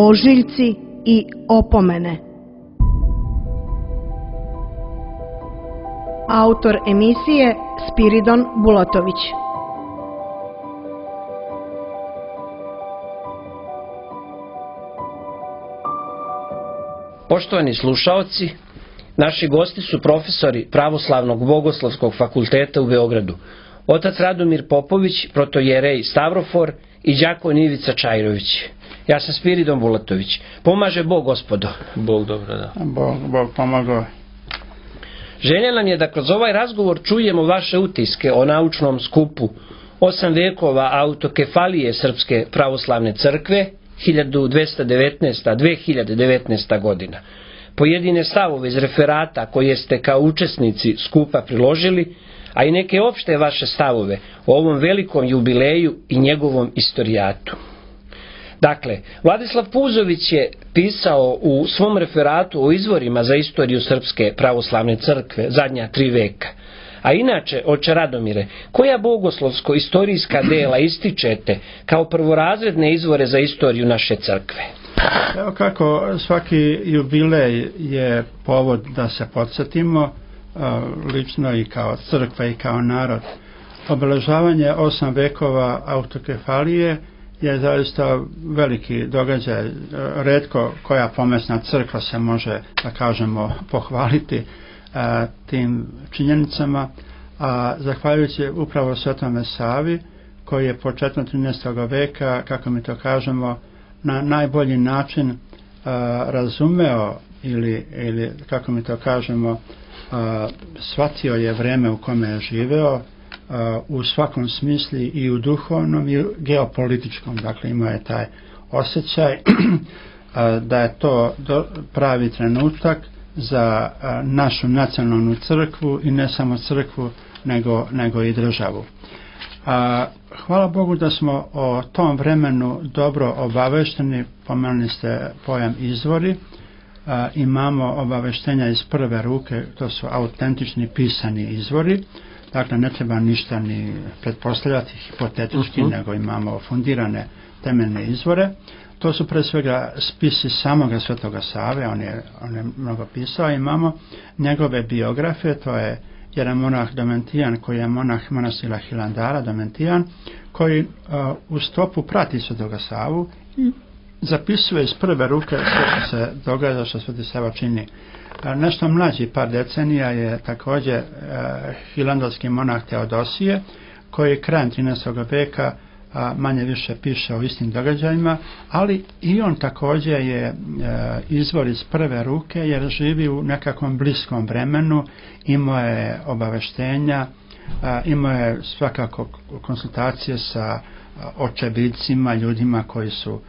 ožiljci i opomene. Autor emisije Spiridon Bulatović. Poštovani slušaoci, naši gosti su profesori Pravoslavnog bogoslovskog fakulteta u Beogradu, otac Radomir Popović, protojerej Stavrofor i đakon Ivica Čajrović. Ja sam Spiridon Bulatović. Pomaže Bog, gospodo. Bog dobro, da. Bog pomagao. Želja nam je da kroz ovaj razgovor čujemo vaše utiske o naučnom skupu 8 vekova autokefalije Srpske pravoslavne crkve 1219-2019 godina. Pojedine stavove iz referata koje ste kao učesnici skupa priložili, a i neke opšte vaše stavove o ovom velikom jubileju i njegovom istorijatu. Dakle, Vladislav Puzović je pisao u svom referatu o izvorima za istoriju Srpske pravoslavne crkve zadnja 3 veka. A inače, oče Radomire, koja bogoslovsko-istorijska dela ističete kao prvorazredne izvore za istoriju naše crkve? Evo kako svaki jubilej je povod da se podsjetimo, lično i kao crkva i kao narod. Obeležavanje 8 vekova autokefalije je zaista veliki događaj. Retko koja pomesna crkva se može, da kažemo, pohvaliti tim činjenicama, a zahvaljujući upravo Svetome Savi, koji je početkom 13. veka, kako mi to kažemo, na najbolji način razumeo ili kako mi to kažemo, shvatio je vreme u kome je živeo, u svakom smislu i u duhovnom i u geopolitičkom. Dakle, imao je taj osjećaj da je to pravi trenutak za našu nacionalnu crkvu i ne samo crkvu nego i državu. Hvala Bogu da smo o tom vremenu dobro obavešteni. Pomenuli ste pojam izvori. Imamo obaveštenja iz prve ruke, to su autentični pisani izvori. Dakle, ne treba ništa ni pretpostavljati hipotetički, nego imamo fundirane temeljne izvore. To su pre svega spisi samoga Svetoga Save, on je mnogo pisao. Imamo njegove biografe, to je jedan monah Domentijan, koji je monah manastira Hilandara, Domentijan, koji u stopu prati Svetoga Savu i zapisuje iz prve ruke sve što se događa, što Sveti Sava čini. Nešto mlađi, par decenija, je također hilandolski monah Teodosije, koji krajem 13. veka manje više piše o istim događajima, ali i on također je izvor iz prve ruke, jer živi u nekakvom bliskom vremenu, imao je obaveštenja, imao je svakako konsultacije sa očevidcima, ljudima koji su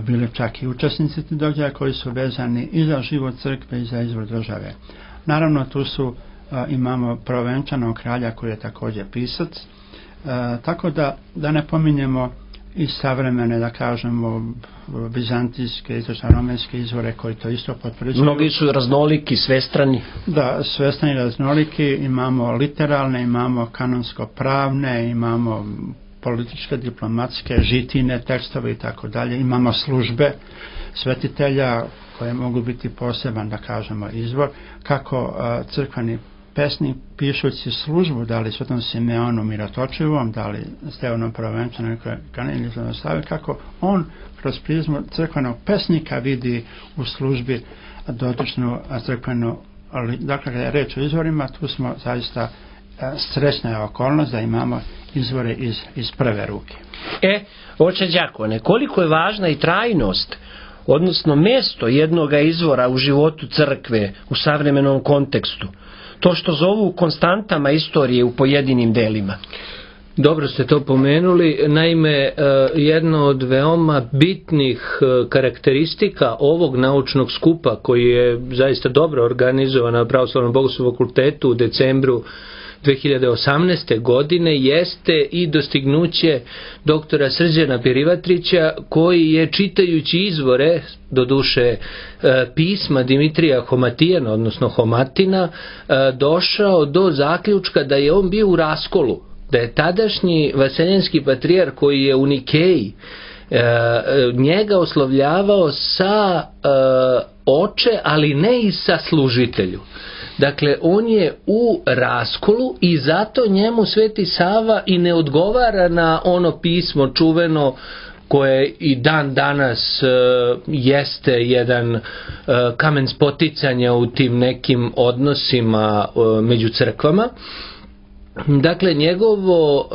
bili čak i učesnici tih događaja, koji su vezani i za život crkve i za izvor države. Naravno, tu su imamo prvovenčanog kralja koji je također pisac, tako da ne pominjemo i savremene, da kažemo, bizantijske, istočno-romenske izvore koji to isto potvrđuju. Mnogi su raznoliki, svestrani. Da, svestrani, raznoliki. Imamo literalne, imamo kanonsko-pravne, imamo političke, diplomatske, žitine, tekstove i tako dalje. Imamo službe svetitelja koje mogu biti poseban, da kažemo, izvor. Kako crkveni pesnik pišući službu, da li Svetom Simeonu Mirotočivom, da li Stevanom Prvovenčanom ili Svetog, kako on kroz prizmu crkvenog pesnika vidi u službi dotičnu crkvenu. Dakle, kada je reč o izvorima, tu smo zaista srećna je okolnost da imamo izvore iz prve ruke. Oče đakone, koliko je važna i trajnost, odnosno mjesto jednoga izvora u životu crkve u savremenom kontekstu, to što zovu konstantama istorije u pojedinim delima? Dobro ste to pomenuli. Naime, jedno od veoma bitnih karakteristika ovog naučnog skupa, koji je zaista dobro organizovan na Pravoslavnom bogoslovnom fakultetu u decembru 2018. godine, jeste i dostignuće doktora Srđana Perivatrića, koji je, čitajući izvore, doduše pisma Dimitrija Homatijana, odnosno Homatina, došao do zaključka da je on bio u raskolu, da je tadašnji vaseljenski patrijar, koji je u Nikeji njega oslovljavao sa oče, ali ne i sa služitelju. Dakle, on je u raskolu i zato njemu Sveti Sava i ne odgovara na ono pismo čuveno koje i dan danas jeste jedan kamen spoticanja u tim nekim odnosima među crkvama. Dakle, njegovo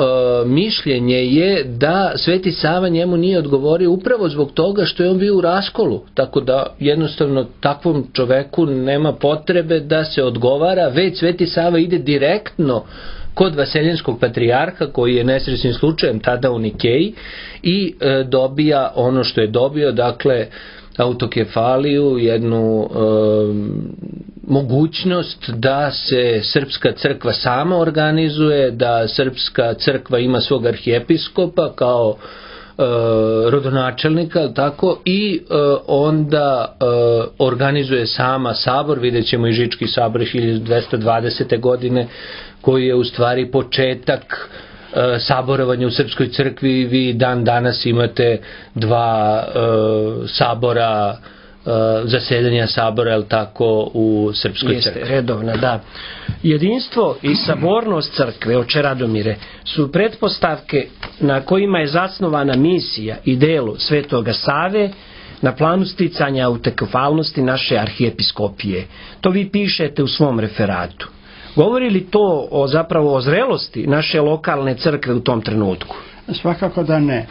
mišljenje je da Sveti Sava njemu nije odgovorio upravo zbog toga što je on bio u raskolu, tako da jednostavno takvom čoveku nema potrebe da se odgovara, već Sveti Sava ide direktno kod Vaseljenskog patrijarha, koji je nesrećnim slučajem tada u Nikeji, i dobija ono što je dobio, dakle autokefaliju, jednu mogućnost da se srpska crkva sama organizuje, da srpska crkva ima svog arhijepiskopa kao rodonačelnika, tako, i onda organizuje sama sabor. Vidjet ćemo i Žički sabor 1220. godine, koji je u stvari početak saborovanja u srpskoj crkvi. Vi dan danas imate dva sabora, zasedanja sabora, je li tako, u srpskoj crkvi? Jeste, redovna, da. Jedinstvo i sabornost crkve, oče Radomire, su pretpostavke na kojima je zasnovana misija i delo Svetoga Save na planu sticanja autokefalnosti naše arhijepiskopije. To vi pišete u svom referatu. Govori li to zapravo o zrelosti naše lokalne crkve u tom trenutku? Svakako da ne.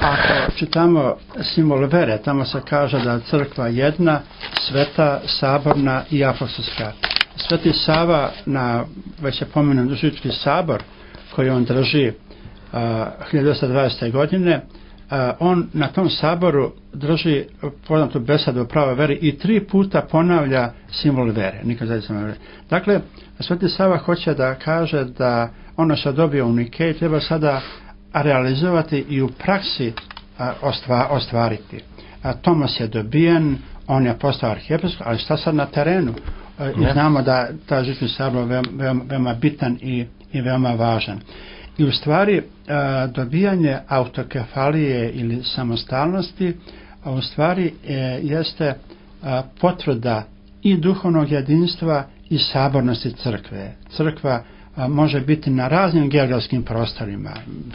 Ako čitamo simbol vere, tamo se kaže da je crkva jedna, sveta, saborna i apostolska. Sveti Sava, na već je pomenut Žički sabor koji on drži 1220. godine, on na tom saboru drži poznatu besedu o pravoj veri i 3 puta ponavlja simbol vere. Dakle, Sveti Sava hoće da kaže da ono što dobio u Nikeji treba sada realizovati i u praksi ostvariti. Tomas je dobijen, on je postao arhijepiskop, ali šta sad na terenu? I znamo da ta Žički sabor je veoma bitan i veoma važan. I u stvari dobijanje autokefalije ili samostalnosti u stvari jeste potvrda i duhovnog jedinstva i sabornosti crkve. Crkva može biti na raznim geografskim prostorima.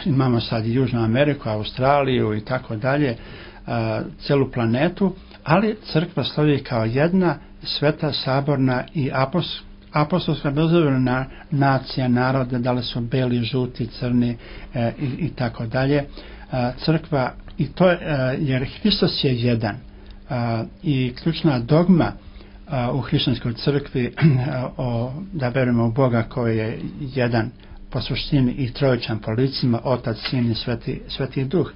Imamo sad i Južnu Ameriku, Australiju i tako dalje, celu planetu, ali crkva slovi kao jedna sveta, saborna i apostolska, bez obzira na nacije, narode, da li su beli, žuti, crni i tako dalje. Crkva, i to jer Hristos je jedan, i ključna dogma u hrišćanskoj crkvi da verujemo u Boga koji je jedan po suštini i trojičan po licima, Otac, Sin i Sveti Duh.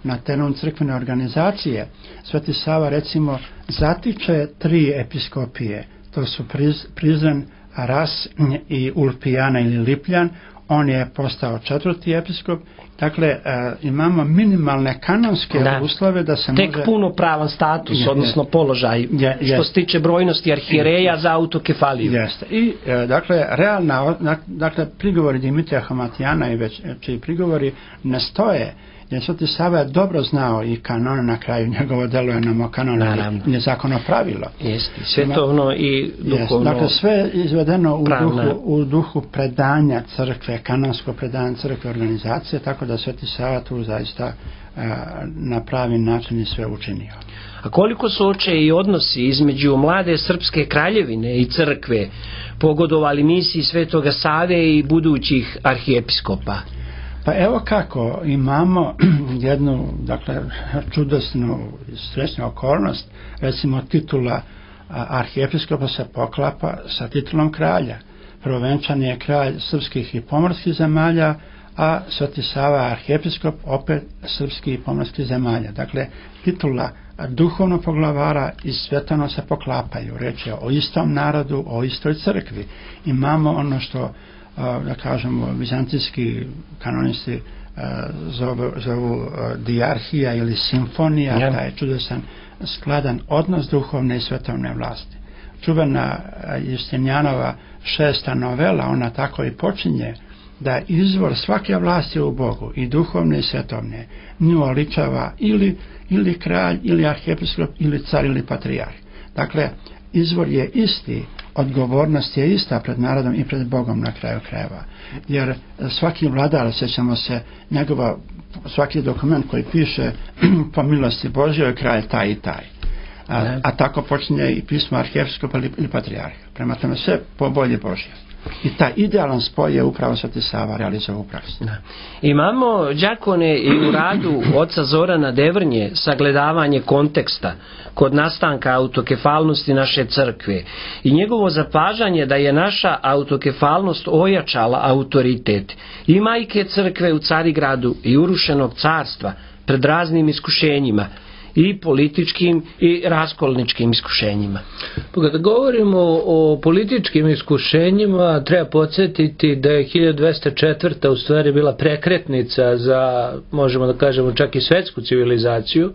Na terenu crkvene organizacije Sveti Sava recimo zatiče 3 episkopije, to su Prizren, Ras i Ulpijana ili Lipljan. On je postao 4. episkop. Dakle, imamo minimalne kanonske uslove da se tek punopravan status, odnosno položaj, što se tiče brojnosti arhijereja za autokefaliju. Jeste. I, dakle, dakle, prigovori Dimitrija Homatijana i već čiji prigovori ne stoje, jer Sveti Sava je dobro znao i kanone, na kraju njegovo delo je nam kanone i zakono pravilo. Jeste, svetovno i duhovno. Dakle, sve je izvedeno u duhu predanja crkve, kanonsko predanje crkve organizacije, tako da Sveti Sava tu zaista na pravi način i sve učinio. A koliko su oče i odnosi između mlade srpske kraljevine i crkve pogodovali misiji Svetoga Save i budućih arhijepiskopa? Pa evo kako, imamo jednu, dakle, čudesnu i srećnu okolnost, recimo titula arhijepiskopa se poklapa sa titulom kralja. Prvovenčani je kralj srpskih i pomorskih zemalja, a Sveti Sava arhijepiskop opet srpskih i pomorskih zemalja. Dakle, titula duhovnog poglavara i svetovno se poklapaju. Reč je o istom narodu, o istoj crkvi. Imamo ono što da kažemo vizantijski kanonisti zovu dijarhija ili simfonija, taj čudesan skladan odnos duhovne i svetovne vlasti. Čuvena Justinijanova 6. novela, ona tako i počinje, da izvor svake vlasti u Bogu, i duhovne i svetovne, nju oličava ili kralj, ili arhijepiskop, ili car, ili patrijarh. Dakle, izvor je isti, odgovornost je ista pred narodom i pred Bogom na kraju krajeva. Jer svaki vladar, sjećamo se, svaki dokument koji piše po milosti Božjoj, kralj taj i taj. A tako počinje i pismo arhijepiskopa ili patrijarha. Prema tome sve po volji Božje. I taj idealan spoj je upravo Sveti Sava realizovao u praksi. Imamo, đakone, i u radu oca Zorana Devrnje sagledavanje konteksta kod nastanka autokefalnosti naše crkve i njegovo zapažanje da je naša autokefalnost ojačala autoritet i majke crkve u Carigradu i urušenog carstva pred raznim iskušenjima, i političkim i raskolničkim iskušenjima. Kada govorimo o političkim iskušenjima, treba podsjetiti da je 1204. u stvari bila prekretnica za, možemo da kažemo, čak i svetsku civilizaciju,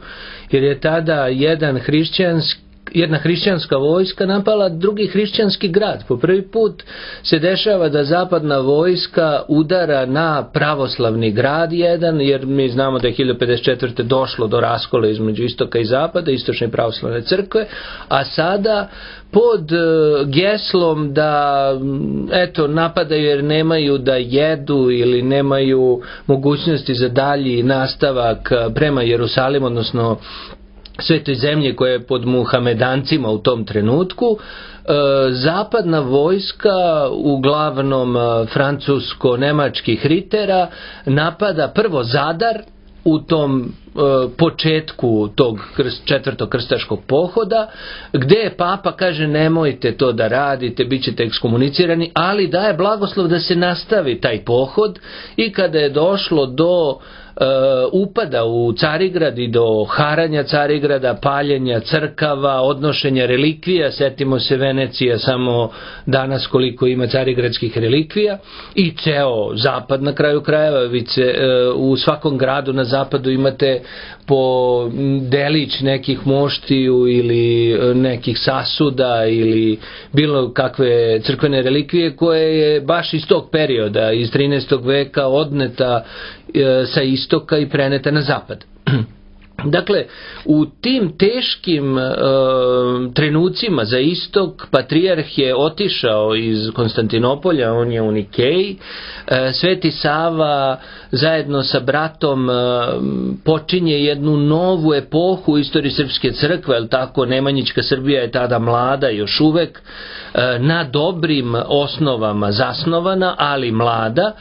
jer je tada jedna hrišćanska vojska napala drugi hrišćanski grad. Po prvi put se dešava da zapadna vojska udara na pravoslavni grad jedan, jer mi znamo da je 1054. došlo do raskola između istoka i zapada, istočne pravoslavne crkve, a sada pod geslom da napadaju jer nemaju da jedu ili nemaju mogućnosti za dalji nastavak prema Jerusalimu, odnosno svetoj zemlji koja je pod Muhamedancima u tom trenutku, zapadna vojska, uglavnom francusko-nemačkih ritera, napada prvo Zadar u tom početku tog četvrtog krstaškog pohoda, gdje papa kaže nemojte to da radite, bit ćete ekskomunicirani, ali daje blagoslov da se nastavi taj pohod. I kada je došlo do upada u Carigrad i do haranja Carigrada, paljenja crkava, odnošenja relikvija, setimo se Venecija samo danas koliko ima carigradskih relikvija, i ceo zapad na kraju krajeva, u svakom gradu na zapadu imate po delić nekih moštiju ili nekih sasuda ili bilo kakve crkvene relikvije koje je baš iz tog perioda, iz 13. veka odneta sa istoka i preneta na zapad. Dakle, u tim teškim trenucima za istok, patrijarh je otišao iz Konstantinopolja, on je u Nikeji. Sveti Sava zajedno sa bratom počinje jednu novu epohu u istoriji srpske crkve, jer tako Nemanjićka Srbija je tada mlada još uvek, na dobrim osnovama zasnovana, ali mlada.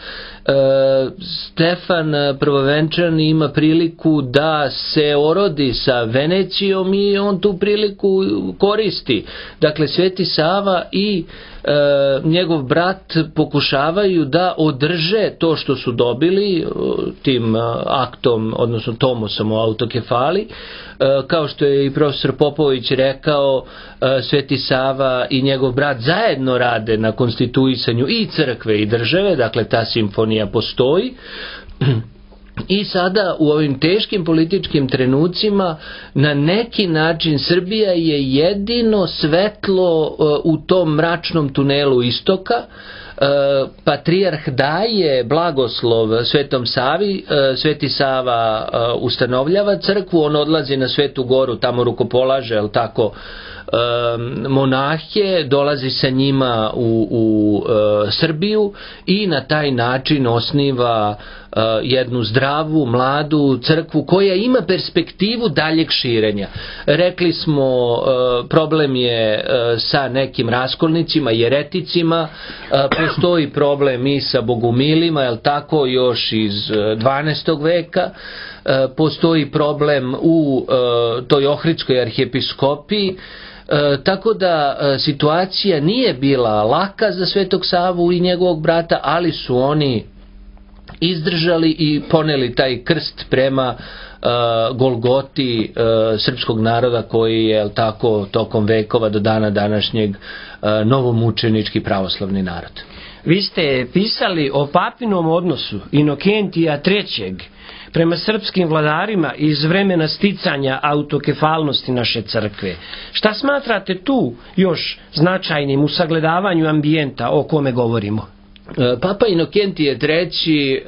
Stefan Prvovenčan ima priliku da se orodi sa Venecijom i on tu priliku koristi. Dakle, Sveti Sava i njegov brat pokušavaju da održe to što su dobili tim aktom, odnosno tomosom o autokefali. Kao što je i profesor Popović rekao, Sveti Sava i njegov brat zajedno rade na konstituisanju i crkve i države, dakle ta simfonija postoji. I sada u ovim teškim političkim trenucima na neki način Srbija je jedino svetlo u tom mračnom tunelu istoka. Patrijarh daje blagoslov Svetom Savi, Sveti Sava ustanovljava crkvu, on odlazi na Svetu Goru, tamo rukopolaže, jel tako, monahe, dolazi sa njima u Srbiju i na taj način osniva jednu zdravu, mladu crkvu koja ima perspektivu daljeg širenja. Rekli smo, problem je sa nekim raskolnicima, jereticima, postoji problem i sa bogumilima, jel tako, još iz 12. veka, postoji problem u toj Ohridskoj arhijepiskopiji, tako da situacija nije bila laka za Svetog Savu i njegovog brata, ali su oni izdržali i poneli taj krst prema Golgoti srpskog naroda koji je tako tokom vekova do dana današnjeg novomučenički pravoslavni narod. Vi ste pisali o papinom odnosu Inokentija III. Prema srpskim vladarima iz vremena sticanja autokefalnosti naše crkve. Šta smatrate tu još značajnim u sagledavanju ambijenta o kome govorimo? Papa Inokentije III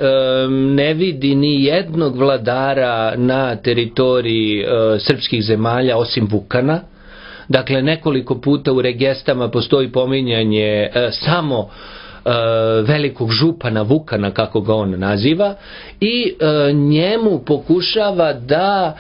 ne vidi ni jednog vladara na teritoriji srpskih zemalja osim Vukana. Dakle, nekoliko puta u regestama postoji pominjanje samo velikog župana Vukana, kako ga on naziva, i njemu pokušava da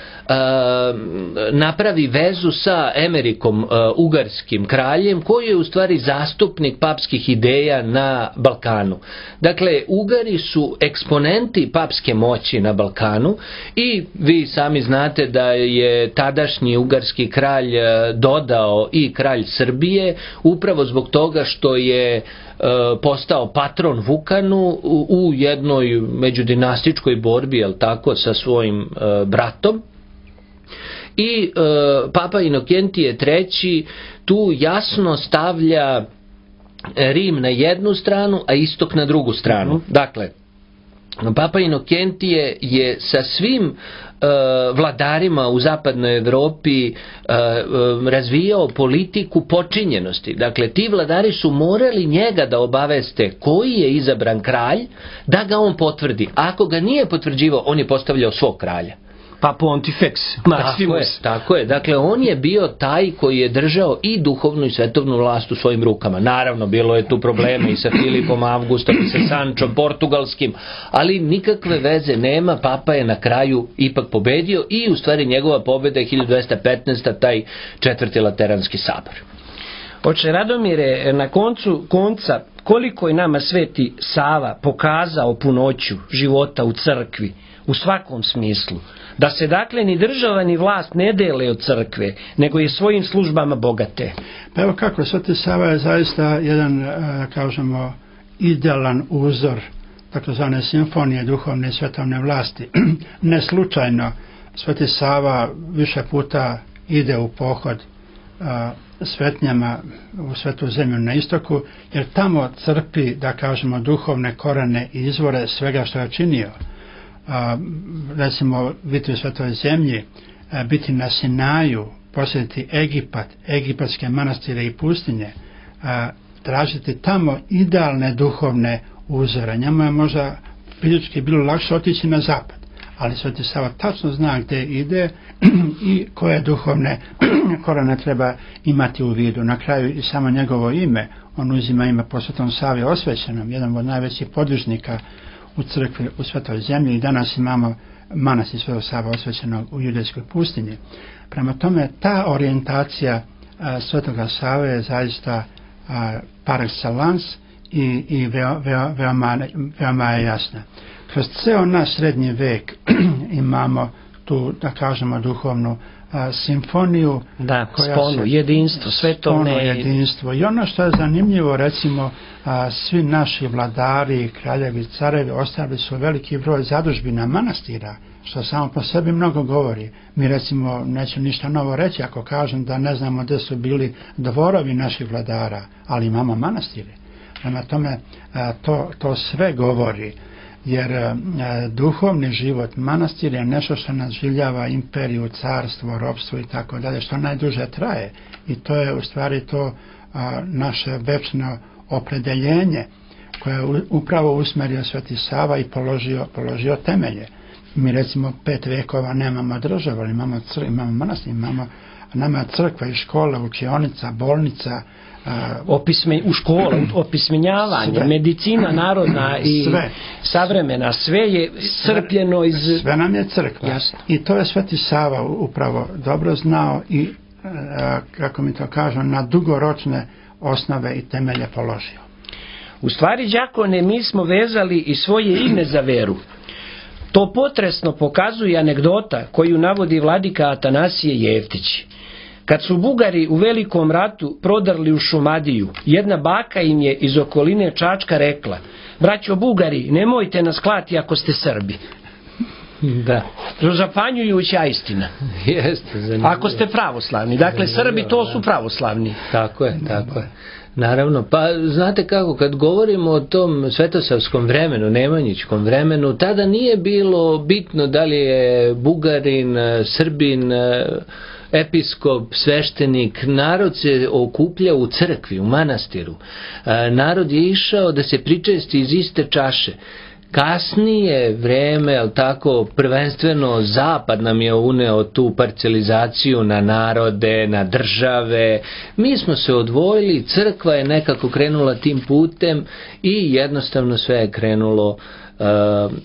napravi vezu sa Emerikom, ugarskim kraljem, koji je u stvari zastupnik papskih ideja na Balkanu. Dakle, Ugari su eksponenti papske moći na Balkanu i vi sami znate da je tadašnji ugarski kralj dodao i kralj Srbije upravo zbog toga što je postao patron Vukanu u jednoj međudinastičkoj borbi, jel tako, sa svojim bratom. I Papa Inokentije III tu jasno stavlja Rim na jednu stranu, a istok na drugu stranu. Dakle, Papa Inokentije je sa svim vladarima u zapadnoj Evropi razvijao politiku počinjenosti. Dakle, ti vladari su morali njega da obaveste koji je izabran kralj, da ga on potvrdi. Ako ga nije potvrđivao, on je postavljao svog kralja. Pa Pontifex Maximus. Tako je. Dakle, on je bio taj koji je držao i duhovnu i svetovnu vlast u svojim rukama. Naravno, bilo je tu problema i sa Filipom Augustom i sa Sančom Portugalskim, ali nikakve veze nema. Papa je na kraju ipak pobedio i u stvari njegova pobeda je 1215. taj četvrti Lateranski sabor. Oče Radomire, na konca, koliko je nama Sveti Sava pokazao punoću života u crkvi, u svakom smislu, da se dakle ni država ni vlast ne dele od crkve, nego je svojim službama bogate. Pa evo kako, Sveti Sava je zaista jedan, kažemo, idealan uzor takozvane simfonije duhovne i svetovne vlasti. Ne slučajno Sveti Sava više puta ide u pohod svetnjama u Svetu zemlju na istoku, jer tamo crpi, da kažemo, duhovne korene i izvore svega što je činio. Recimo, biti u Svetoj zemlji, biti na Sinaju, posjetiti Egipat, egipatske manastire i pustinje, tražiti tamo idealne duhovne uzore. Njemu je možda fizički bilo lakše otići na zapad, ali Sveti Sava tačno zna gdje ide i koje duhovne korene treba imati u vidu. Na kraju i samo njegovo ime, on uzima ime po Svetom Savi Osvećenom, jedan od najvećih podvižnika u crkvi u Svetoj zemlji, i danas imamo manastir Svetog Sava Osvećenog u Judejskoj pustinji. Prema tome, ta orijentacija Svetoga Save je zaista par excellence i veoma je jasna. Kroz ceo naš srednji vek imamo tu, da kažemo, duhovnu simfoniju, sponu, jedinstvo, svetovne jedinstvo. I ono što je zanimljivo, recimo, svi naši vladari, kraljevi, carevi ostavili su veliki broj zadužbina manastira, što samo po sebi mnogo govori. Mi, recimo, neću ništa novo reći ako kažem da ne znamo gdje su bili dvorovi naših vladara, ali imamo manastire. Prema tome, to sve govori, jer duhovni život manastir je nešto što nadživljava imperiju, carstvo, ropstvo i tako dalje, što najduže traje, i to je u stvari to naše večno opredeljenje koje je upravo usmerio Sveti Sava i položio temelje. Mi, recimo, 5 vekova nemamo državu, ali imamo manastir, nama crkva i škola, učionica, bolnica, u školu, opismenjavanje, sve. Medicina narodna i sve. Savremena, sve je crpljeno iz... Sve nam je crkva. Jasno. I to je Sveti Sava upravo dobro znao i, kako mi to kažu, na dugoročne osnove i temelje položio. U stvari, đakone, mi smo vezali i svoje ime za veru. To potresno pokazuje anegdota koju navodi vladika Atanasije Jeftić. Kad su Bugari u Velikom ratu prodrli u Šumadiju, jedna baka im je iz okoline Čačka rekla: braćo Bugari, nemojte nas klati ako ste Srbi. Da. Zapanjujuća istina. Jeste, zanimljivo. Ako ste pravoslavni. Dakle, Srbi to su pravoslavni. Tako je. Naravno, pa znate kako, kad govorimo o tom svetosavskom vremenu, nemanjičkom vremenu, tada nije bilo bitno da li je Bugarin, Srbin, episkop, sveštenik, narod se okuplja u crkvi, u manastiru. Narod je išao da se pričesti iz iste čaše. Kasnije vreme, ali tako, prvenstveno Zapad nam je uneo tu parcelizaciju na narode, na države. Mi smo se odvojili, crkva je nekako krenula tim putem i jednostavno sve je krenulo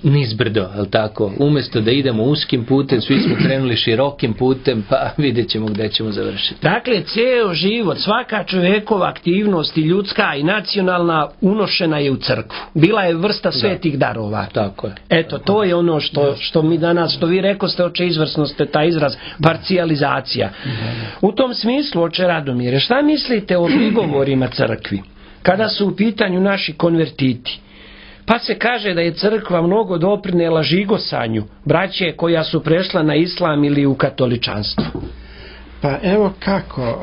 nizbrdo, ali tako, umjesto da idemo uskim putem, svi smo krenuli širokim putem, pa vidjet ćemo gde ćemo završiti. Dakle, ceo život, svaka čovekova aktivnost i ljudska i nacionalna unošena je u crkvu. Bila je vrsta svetih darova. Tako je. Eto, to je ono što mi danas, što vi rekoste, oče, izvrsno ste taj izraz, parcijalizacija. U tom smislu, oče Radomire, šta mislite o prigovorima crkvi, kada su u pitanju naši konvertiti? Pa se kaže da je crkva mnogo doprinela žigosanju braće koja su prešla na islam ili u katoličanstvo. Pa evo kako,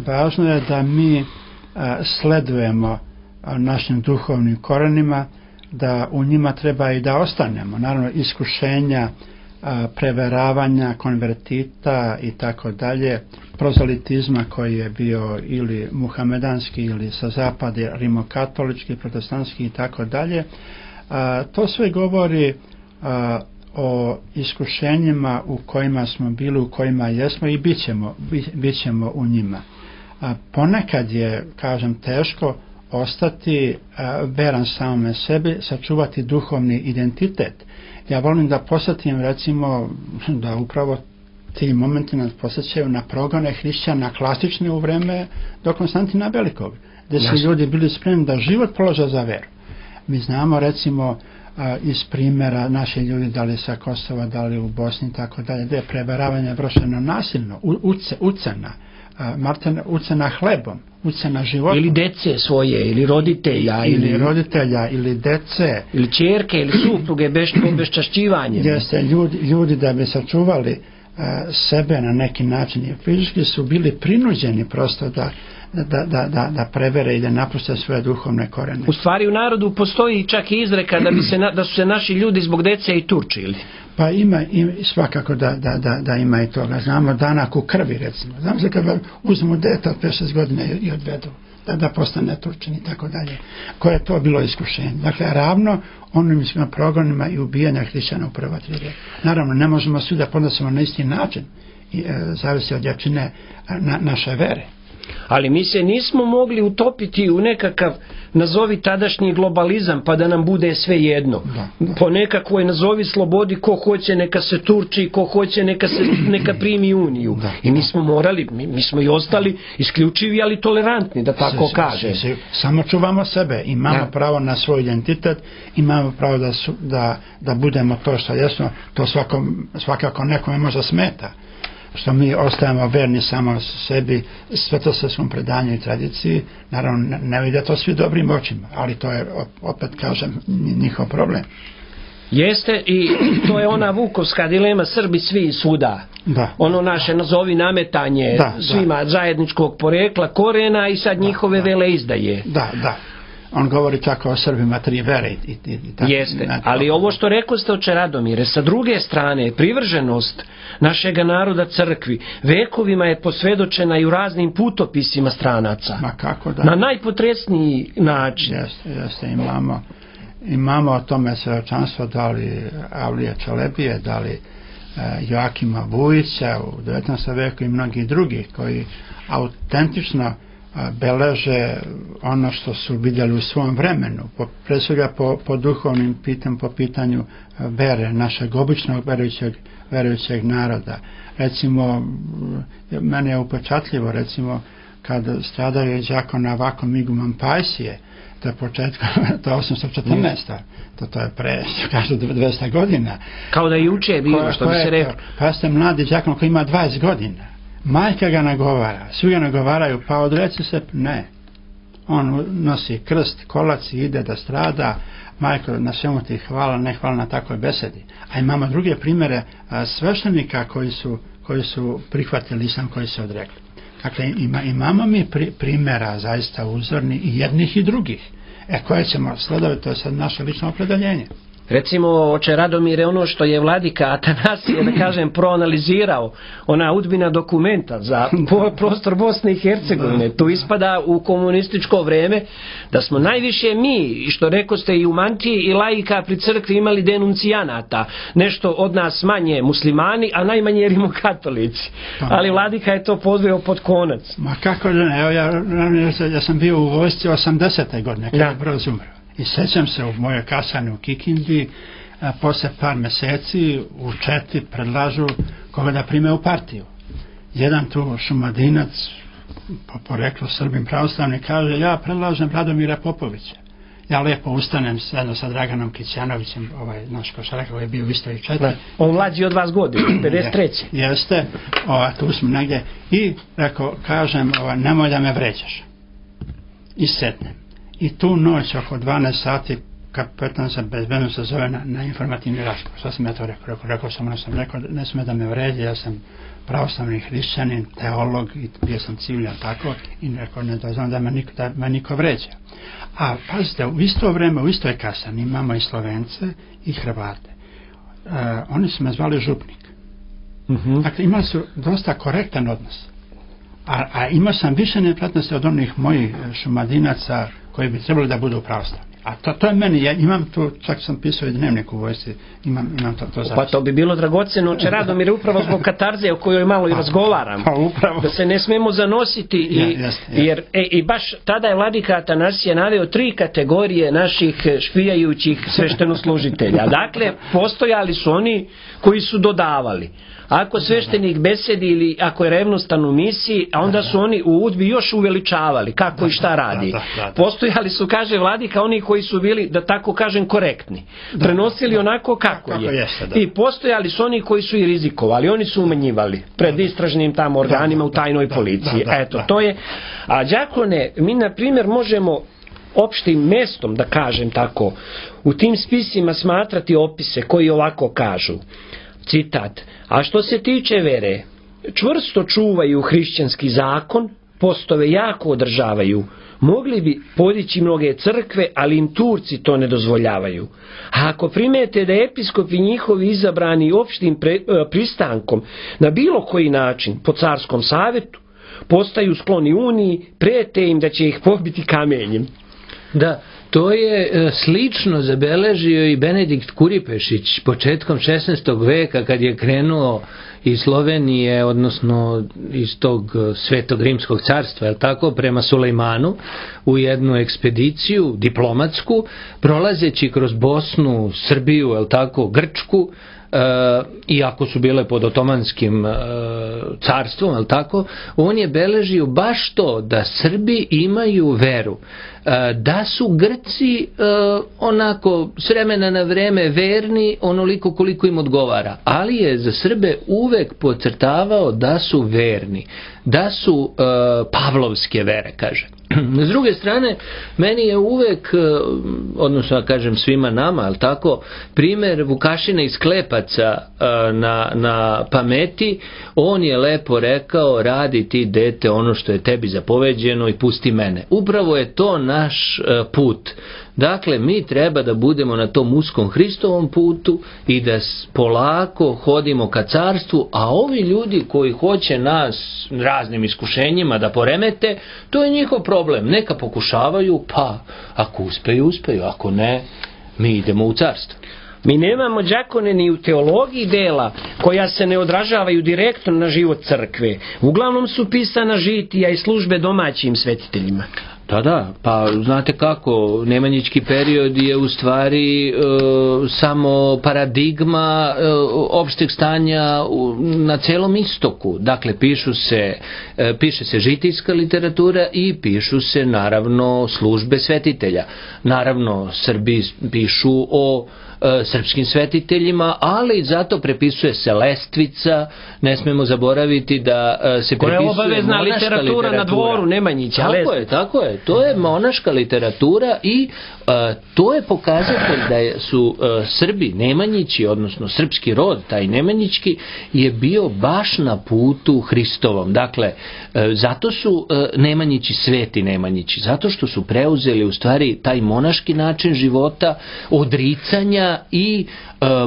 važno je da mi sledujemo našim duhovnim korenima, da u njima treba i da ostanemo. Naravno, iskušenja, preveravanja, konvertita i tako dalje, prozalitizma koji je bio ili muhamedanski ili sa zapada, rimokatolički, protestantski i tako dalje. To sve govori o iskušenjima u kojima smo bili, u kojima jesmo i bit ćemo u njima. Ponekad je, kažem, teško ostati veran samome sebi, sačuvati duhovni identitet. Ja volim da posjetim, recimo, da upravo ti momenti nas posjećaju na progone hrišćana klasične u vreme do Konstantina Velikog, gdje su ljudi bili spremni da život polože za veru. Mi znamo, recimo, iz primjera naši ljudi, da li sa Kosova, da li u Bosni i tako dalje, gdje je preveravanje vršeno nasilno, ucena hlebom, ucena životom. Ili dece svoje, ili roditelja. Ili dece. Ili ćerke, ili supruge, obeščašćivanjem. Jeste, ljudi da bi sačuvali sebe na neki način i fizički su bili prinuđeni prosto da prevere i da napuste svoje duhovne korene. U stvari u narodu postoji čak i izreka da su se naši ljudi zbog dece i turčili. Pa ima svakako da ima i toga. Znamo danak u krvi, recimo. Znam se kada uzmu dete od 5-6 godina i odvedu da postane Turčin i tako dalje. Koje je to bilo iskušenje. Dakle, ravno onim progonima i ubijanja hrišćana u prva 3 vijeka. Naravno, ne možemo svi da podnosimo na isti način. Zavisi od jačine naše vere. Ali mi se nismo mogli utopiti u nekakav, nazovi tadašnji globalizam, pa da nam bude sve jedno. Po nekakvoj, nazovi slobodi, ko hoće neka se turči, ko hoće neka primi uniju. I mi smo morali, mi smo i ostali isključivi, ali tolerantni, da tako kaže. Samo čuvamo sebe, imamo pravo na svoj identitet, imamo pravo da budemo to što jesmo, to svakako nekome možda smeta. Što mi ostajemo verni samo sebi, svetosavskom predanju i tradiciji, naravno ne vide to svi dobrim očima, ali to je, opet kažem, njihov problem. Jeste, i to je ona vukovska dilema, Srbi svi i svuda. Ono naše, nazovi, nametanje svima zajedničkog porekla, korena i sad njihove veleizdaje. Da. On govori tako o Srbima 3 vere. Jeste, ali ovo što rekoste, oče Radomire, sa druge strane, privrženost našega naroda crkvi vekovima je posvedočena i u raznim putopisima stranaca. Ma kako da? Na najpotresniji način. Jeste, imamo o tome svedočanstvo, da li Avlije Čelebije, da li Joakima Vujića u 19. veku i mnogi drugi koji autentično beleže ono što su vidjeli u svom vremenu, pre svega po duhovnim pitanju, po pitanju vere, našeg običnog verujućeg naroda. Recimo, meni je upečatljivo, recimo, kad stradaju đakon Avakom Iguman Pajsije, to je početka, to je 814. To je pre, kažu, 200 godina. Kao da je juče bilo, što bi se rekao. Pa jeste mladi đakon koji ima 20 godina. Majka ga nagovara, svi ga nagovaraju, pa odreci se, ne. On nosi krst, kolac i ide da strada, majko, na svemu ti hvala, ne hvala na takvoj besedi. A imamo druge primjere sveštenika koji su prihvatili islam, koji se odrekli. Dakle, imamo mi primjera zaista uzorni i jednih i drugih, koje ćemo sledovati, to je sad naše lično opredeljenje. Recimo, oče Radomire, ono što je vladika Atanasije, da kažem, proanalizirao, ona udbina dokumenta za prostor Bosne i Hercegovine, tu ispada u komunističko vreme da smo najviše mi, što rekoste i u mantiji i laika pri crkvi imali denuncijanata, nešto od nas manje muslimani, a najmanje rimokatolici. Ali vladika je to podveo pod konac. Ma kako da ne, evo ja sam bio u vojsci 80. godine, kada je Broz umro. I sećam se u mojoj kasarni u Kikindi, posle par meseci u Četi predlažu koga da prime u partiju. Jedan tu Šumadinac, po poreklu Srbin pravoslavni, kaže, ja predlažem Radomira Popovića. Ja lepo ustanem zajedno sa Draganom Kićanovićem, naš košarka koji je bio u istoj Četi. On mlađi od vas godina, 53. Jeste, tu smo negdje. I rekao, kažem, nemoj da me vređaš. I sednem. I tu noć oko 12 sati kapetan za bezbednost se zove na informativni razgovor. Što sam ja to rekao? Rekao sam, ne sme da me vređe, ja sam pravoslavni hrišćanin, teolog i bio sam civiljan tako i rekao ne dozvam da me niko vređa. A pazite, u isto vreme, u istoj kasani imamo i Slovence i Hrvate. Oni su me zvali župnik. Dakle, imali su dosta korektan odnos. A imao sam više neprijatnosti od onih mojih Šumadinaca koji bi trebali da budu pravoslavni. A to je meni, ja imam tu, čak sam pisao i dnevnik u vojsci, imam to zapisano. Pa to bi bilo dragoceno, oče Radomir, upravo zbog katarze o kojoj malo i razgovaram. Da se ne smemo zanositi, jer i baš tada je vladika Atanasije naveo 3 kategorije naših špijajućih sveštenoslužitelja. Dakle, postojali su oni koji su dodavali. Ako sveštenik besedi ili ako je revnostan u misiji, a onda su oni u udbi još uveličavali kako i šta radi. Postojali su, kaže vladika, oni koji su bili, da tako kažem, korektni. Prenosili onako kako je. I postojali su oni koji su i rizikovali. Oni su umanjivali pred istražnim tamo organima u tajnoj policiji. Eto, to je. A đakone, mi na primjer možemo opštim mestom, da kažem tako, u tim spisima smatrati opise koji ovako kažu. Citat, a što se tiče vere, čvrsto čuvaju hrišćanski zakon, postove jako održavaju, mogli bi podići mnoge crkve, ali im Turci to ne dozvoljavaju. A ako primete da episkopi njihovi izabrani opštim pristankom na bilo koji način po carskom savjetu, postaju skloni uniji, prete im da će ih pobiti kamenjem. Da, to je slično zabeležio i Benedikt Kuripešić početkom 16. veka kad je krenuo iz Slovenije, odnosno iz tog Svetog Rimskog carstva, je tako, prema Sulejmanu u jednu ekspediciju diplomatsku, prolazeći kroz Bosnu, Srbiju, je tako, Grčku, iako su bile pod otomanskim carstvom, je tako, on je beležio baš to da Srbi imaju veru, da su Grci onako s vremena na vreme verni onoliko koliko im odgovara, ali je za Srbe uvek podcrtavao da su verni, da su pavlovske vere, kaže. S druge strane, meni je uvek, odnosno da kažem svima nama, ali tako, primjer Vukašina iz Klepaca na pameti, on je lepo rekao, radi ti dete ono što je tebi zapoveđeno i pusti mene. Upravo je to naš put. Dakle, mi treba da budemo na tom uskom Hristovom putu i da polako hodimo ka carstvu, a ovi ljudi koji hoće nas raznim iskušenjima da poremete, to je njihov problem. Neka pokušavaju, pa ako uspeju, uspeju, ako ne, mi idemo u carstvo. Mi nemamo đakone ni u teologiji dela koja se ne odražavaju direktno na život crkve. Uglavnom su pisana žitija i službe domaćim svetiteljima. Da, pa znate kako, Nemanjićki period je u stvari samo paradigma opšteg stanja na celom istoku. Dakle, piše se žitijska literatura i pišu se naravno službe svetitelja. Naravno, Srbi pišu o srpskim svetiteljima, ali zato prepisuje se Lestvica, ne smemo zaboraviti da se prepisuje koja je obavezna literatura na dvoru Nemanjića. Tako je. to je monaška literatura i to je pokazatelj da su Srbi, Nemanjići, odnosno srpski rod, taj Nemanjićki, je bio baš na putu Hristovom. Dakle, zato su Nemanjići sveti Nemanjići, zato što su preuzeli u stvari taj monaški način života, odricanja i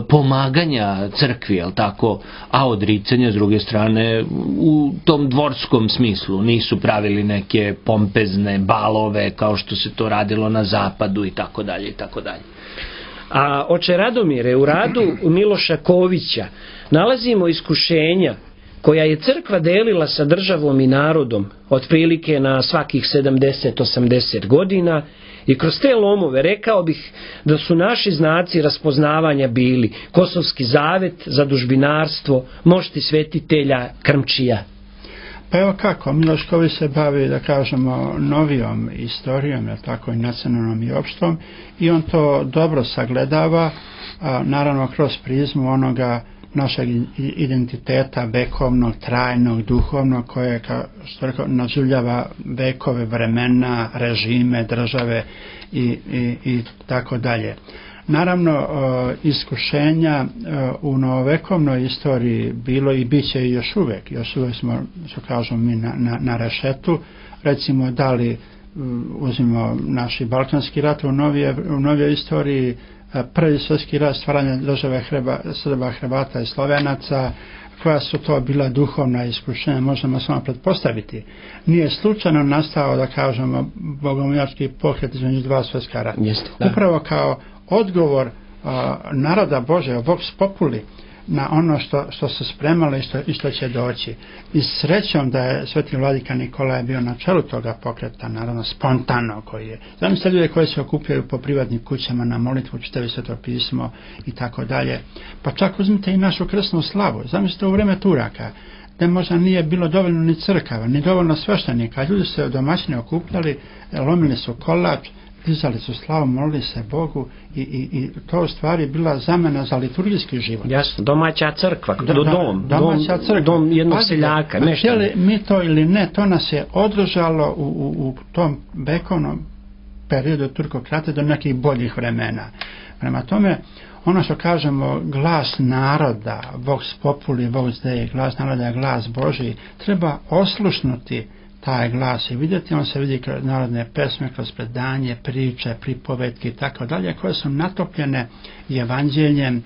pomaganja crkvi, jel tako, a odricanja s druge strane u tom dvorskom smislu, nisu pravili neke pompezne balove kao što se to radilo na zapadu i tako dalje i tako dalje. A oče Radomire, u radu Miloša Kovića nalazimo iskušenja koja je crkva delila sa državom i narodom otprilike na svakih 70-80 godina. I kroz te lomove rekao bih da su naši znaci raspoznavanja bili Kosovski zavet, zadužbinarstvo, mošti svetitelja, krmčija. Pa evo kako, Miloš Ković se bavi, da kažemo, novijom istorijom, tako i nacionalnom i opštom, i on to dobro sagledava, naravno kroz prizmu onoga našeg identiteta vekovnog, trajnog, duhovnog, koje, kao što rekao, naživljava vekove, vremena, režime, države i tako dalje. Naravno, iskušenja u novovekovnoj istoriji bilo i bit će i još uvek smo, što kažemo mi, na rešetu. Recimo, da li uzmimo naši Balkanski rat u novijoj istoriji, prvi svjetski rat, stvaranje države Srba, Hrvata i Slovenaca, koja su to bila duhovna iskušenja, možemo samo pretpostaviti. Nije slučajno nastao, da kažemo, bogomoljački pokret između dva svjetska rata. Upravo kao odgovor naroda Božega, vox populi, na ono što se spremalo i što će doći. I srećom da je sveti vladika Nikolaj bio na čelu toga pokreta, naravno spontano koji je. Zamislite ljude koji se okupljaju po privatnim kućama na molitvu, čitaju Sveto pismo i tako dalje. Pa čak uzmite i našu krsnu slavu. Zamislite u vreme Turaka, da možda nije bilo dovoljno ni crkava, ni dovoljno sveštenika. Ljudi se domaćini okupljali, lomili su kolač, dizali su slavu, molili se Bogu i to u stvari bila zamena za liturgijski život. Jasno, domaća crkva, dom jednog seljaka. Htjeli mi to ili ne, to nas je održalo u tom vekovnom periodu turkokrate do nekih boljih vremena. Prema tome, ono što kažemo, glas naroda, vox populi, vox dei, glas naroda, glas Božji, treba oslušnuti taj glas i vidjeti, on se vidi kroz narodne pesme, kroz predanje, priče, pripovetke i tako dalje, koje su natopljene evanđeljem,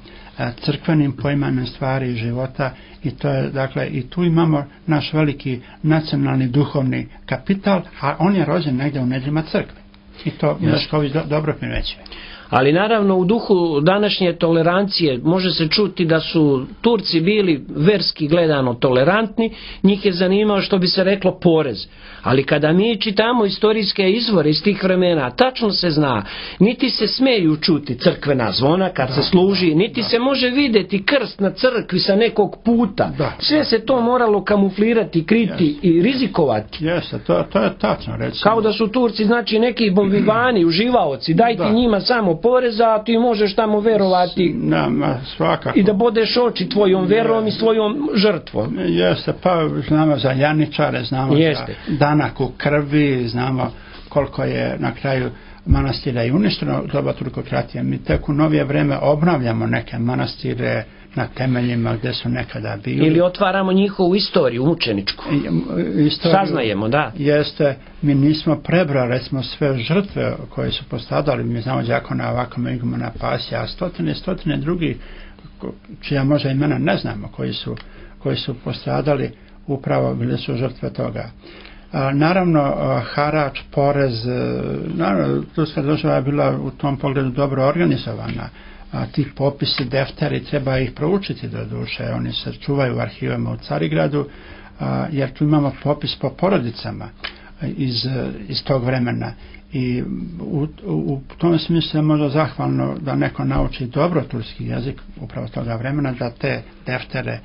crkvenim poimanjem stvari i života, i to je, dakle, i tu imamo naš veliki nacionalni duhovni kapital, a on je rođen negdje u nedrima crkve. I to Miloš Ković dobro primećuje. Ali naravno u duhu današnje tolerancije može se čuti da su Turci bili verski gledano tolerantni, njih je zanimao, što bi se reklo, porez. Ali kada mi čitamo istorijske izvore iz tih vremena, tačno se zna, niti se smeju čuti crkvena zvona kad se služi, niti se može vidjeti krst na crkvi sa nekog puta. Sve se to moralo kamuflirati, kriti i rizikovati. Jeste, to je tačno reći. Kao da su Turci, znači, neki bombivani, uživaoci, dajte njima samo poreza, a ti možeš tamo verovati i da bodeš oči tvojom verom i svojom žrtvom. Jeste, pa znamo za Janičare, znamo za danak u krvi, znamo koliko je na kraju manastira i uništeno doba turkokratije. Mi tek u novije vreme obnavljamo neke manastire na temeljima gdje su nekada bili. Ili otvaramo njihovu istoriju mučeničku. Saznajemo, da. Jeste, mi nismo prebrali, recimo, sve žrtve koje su postradali. Mi znamo đakona ovako igumana Pasija, a stotine drugih, čija možda imena ne znamo, koji su postradali, upravo bili su žrtve toga. Naravno, harač, porez, naravno, turska država je bila u tom pogledu dobro organizovana. Ti popisi, defteri, treba ih proučiti do duše, oni se čuvaju u arhivama u Carigradu, jer tu imamo popis po porodicama iz tog vremena, i u tom smislu je možda zahvalno da neko nauči dobro turski jezik upravo toga vremena, da te deftere,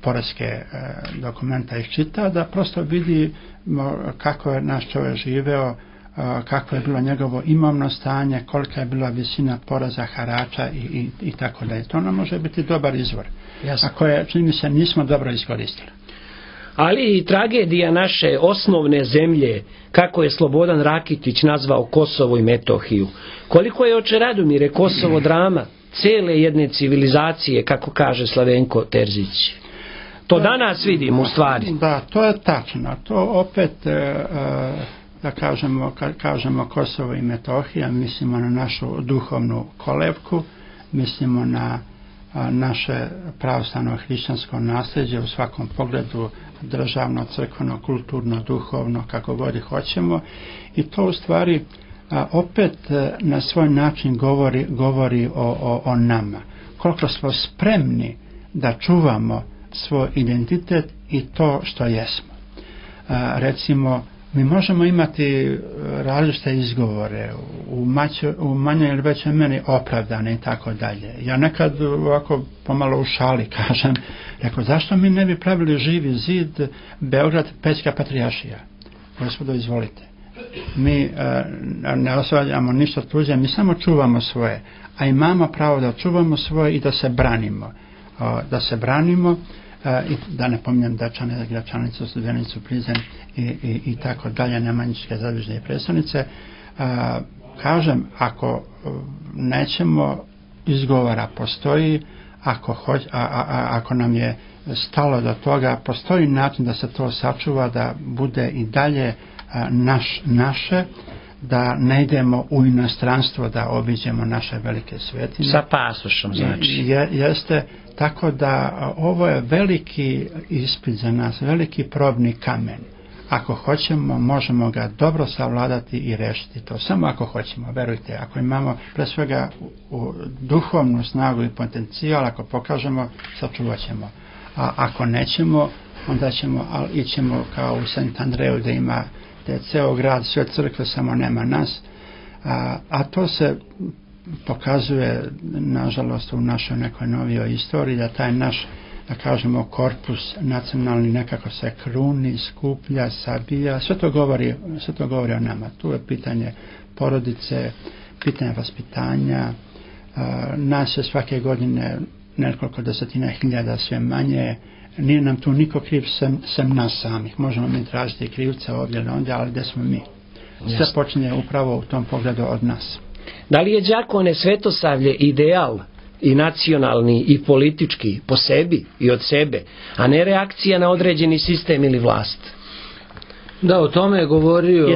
poreske dokumenta iščita, da prosto vidi kako je naš čovjek živeo, kako je bilo njegovo imovno stanje, kolika je bila visina poreza, harača i tako dalje. To nam može biti dobar izvor, a koje, čini mi se, nismo dobro iskoristili. ali i tragedija naše osnovne zemlje, kako je Slobodan Rakitić nazvao Kosovo i Metohiju. Koliko je, oče Radomire, Kosovo drama cele jedne civilizacije, kako kaže Slavenko Terzić. To danas vidimo u stvari. Da, to je tačno. To opet, da kažemo Kosovo i Metohija, mislimo na našu duhovnu kolevku, mislimo na naše pravoslavno hrišćansko nasljeđe u svakom pogledu, državno, crkveno, kulturno, duhovno, kako god i hoćemo. I to u stvari opet na svoj način govori o nama. Koliko smo spremni da čuvamo svoj identitet i to što jesmo. Recimo, mi možemo imati različite izgovore, u manjoj ili većoj meri opravdane i tako dalje. Ja nekad ovako pomalo u šali kažem, rekao, zašto mi ne bi pravili Živi zid Beograd Pećka Patrijaršija? Gospodo, izvolite. Mi ne osvađamo ništa tuđe, mi samo čuvamo svoje, a imamo pravo da čuvamo svoje i da se branimo. I da ne pominjem Dačane, Gračanicu, Studenicu, Prizren i tako dalje, Nemanjičke zadružne predstavnice. Kažem, ako nećemo, izgovora postoji, ako nam je stalo do toga, postoji način da se to sačuva, da bude i dalje naše, da ne idemo u inostranstvo da obiđemo naše velike svetine. Sa pasošom, znači. Jeste, tako da ovo je veliki ispit za nas, veliki probni kamen. Ako hoćemo, možemo ga dobro savladati i rešiti to. Samo ako hoćemo, verujte, ako imamo pre svega duhovnu snagu i potencijal, ako pokažemo, sačuvat ćemo. A ako nećemo, onda ićemo kao u St. Andreju da ima ceo grad, sve crkve, samo nema nas. A to se pokazuje, nažalost, u našoj nekoj novijoj istoriji, da taj naš, da kažemo, korpus nacionalni nekako se kruni, skuplja, sabija, sve to govori o nama. Tu je pitanje porodice, pitanje vaspitanja, nas je svake godine nekoliko desetina hiljada, sve manje, nije nam tu niko kriv sem nas samih. Možemo mi tražiti krivca ovdje ili ondje, ali gdje smo mi? Sve počinje upravo u tom pogledu od nas. Da li je, đakone, Svetosavlje ideal i nacionalni i politički po sebi i od sebe, a ne reakcija na određeni sistem ili vlast? Da, o tome je govorio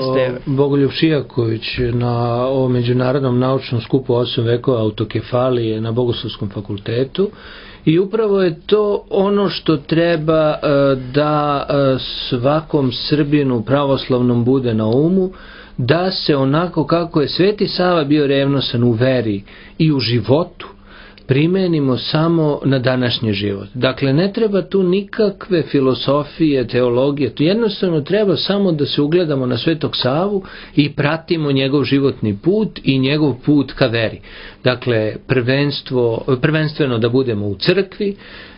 Bogoljub Šijaković na ovom međunarodnom naučnom skupu 8 vekova autokefalije na Bogoslovskom fakultetu. I upravo je to ono što treba da svakom Srbinu pravoslavnom bude na umu, da se onako kako je Sveti Sava bio revnosan u veri i u životu, primenimo samo na današnji život. Dakle, ne treba tu nikakve filosofije, teologije, tu jednostavno treba samo da se ugledamo na Svetog Savu i pratimo njegov životni put i njegov put ka veri. Dakle, prvenstveno da budemo u crkvi,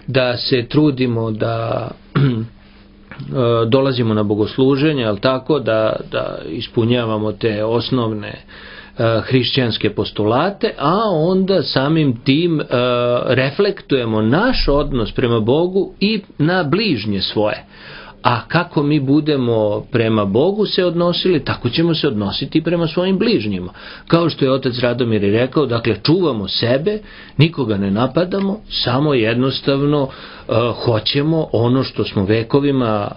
da se trudimo da dolazimo na bogosluženje, ali tako da ispunjavamo te osnovne hrišćanske postulate, a onda samim tim reflektujemo naš odnos prema Bogu i na bližnje svoje. A kako mi budemo prema Bogu se odnosili, tako ćemo se odnositi i prema svojim bližnjima. Kao što je otac Radomir rekao, dakle, čuvamo sebe, nikoga ne napadamo, samo jednostavno hoćemo ono što smo vekovima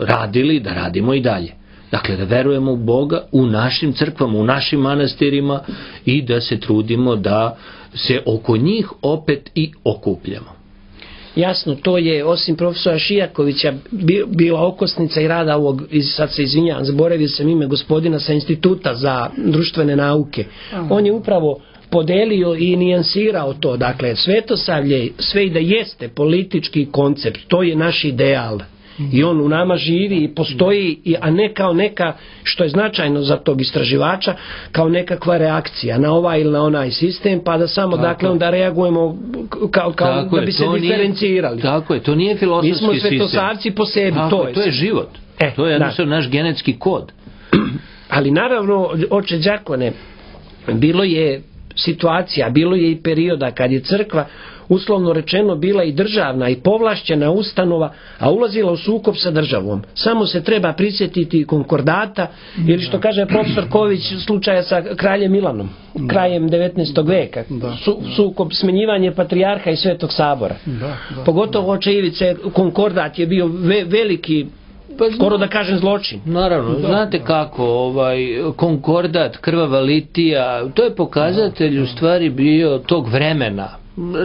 radili, da radimo i dalje. Dakle, da verujemo u Boga, u našim crkvama, u našim manastirima i da se trudimo da se oko njih opet i okupljamo. Jasno, to je, osim profesora Šijakovića, bila okosnica i rada ovog, sad se izvinjavam, zaboravio sam ime gospodina sa Instituta za društvene nauke. On je upravo podelio i nijansirao to. Dakle, Svetosavlje, sve i da jeste politički koncept, to je naš ideal. I on u nama živi i postoji, a ne kao neka, što je značajno za tog istraživača, kao nekakva reakcija na ovaj ili na onaj sistem, pa da samo, dakle, onda reagujemo kao da bi se diferencirali. Tako je, to nije filosofski sistem. Mi smo svetosavci po sebi, to je život. To je jednostavno naš genetski kod. Ali naravno, oče đakone, bilo je situacija, bilo je i perioda kad je crkva uslovno rečeno bila i državna i povlašćena ustanova, a ulazila u sukob sa državom. Samo se treba prisjetiti konkordata ili što kaže profesor Ković slučaja sa kraljem Milanom, krajem 19. veka. Sukob, smenjivanje patrijarha i Svetog sabora. Pogotovo oče Ivice, konkordat je bio veliki, skoro da kažem zločin. Naravno, znate kako, konkordat, krvava litija, to je pokazatelj u stvari bio tog vremena.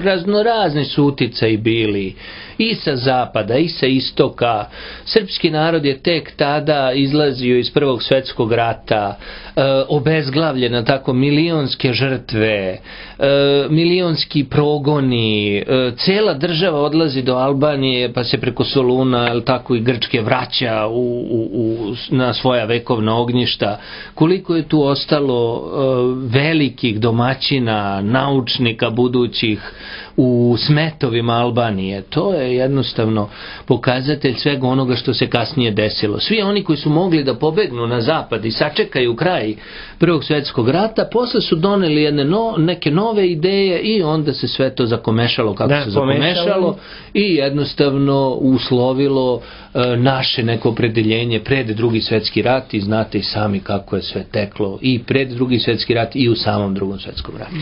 Raznorazni su uticaji bili i sa zapada i sa istoka. Srpski narod je tek tada izlazio iz Prvog svjetskog rata, obezglavljena tako milionske žrtve, milionski progoni, cela država odlazi do Albanije pa se preko Soluna tako i Grčke vraća na svoja vekovna ognjišta. Koliko je tu ostalo velikih domaćina, naučnika budućih u smetovima Albanije. To je jednostavno pokazatelj svega onoga što se kasnije desilo. Svi oni koji su mogli da pobegnu na zapad i sačekaju kraj Prvog svjetskog rata, posle su doneli neke nove ideje i onda se sve to zakomešalo kako se zakomešalo i jednostavno uslovilo naše neko opredeljenje pred Drugi svjetski rat i znate i sami kako je sve teklo i pred Drugi svjetski rat i u samom Drugom svjetskom ratu.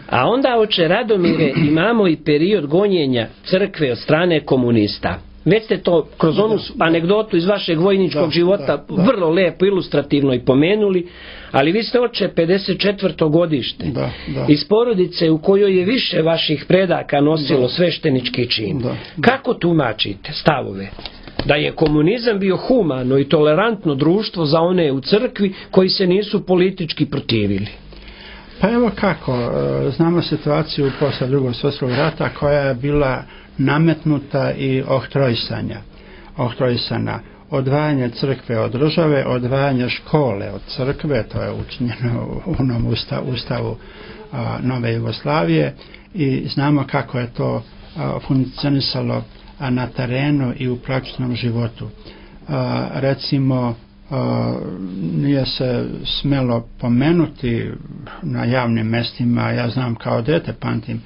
A onda, oče Radomire, imamo i period gonjenja crkve od strane komunista. Već ste to kroz onu anegdotu iz vašeg vojničkog života vrlo lepo, ilustrativno i pomenuli, ali vi ste, oče, 54. godište iz porodice u kojoj je više vaših predaka nosilo sveštenički čin. Kako tumačite stavove da je komunizam bio humano i tolerantno društvo za one u crkvi koji se nisu politički protivili? Pa evo kako, znamo situaciju posle Drugog svjetskog rata koja je bila nametnuta i oktroisana. Odvajanje crkve od države, odvajanje škole od crkve, to je učinjeno u onom ustavu Nove Jugoslavije i znamo kako je to funkcionisalo na terenu i u praktičnom životu. Recimo, nije se smelo pomenuti na javnim mestima, ja znam kao dete pamtim,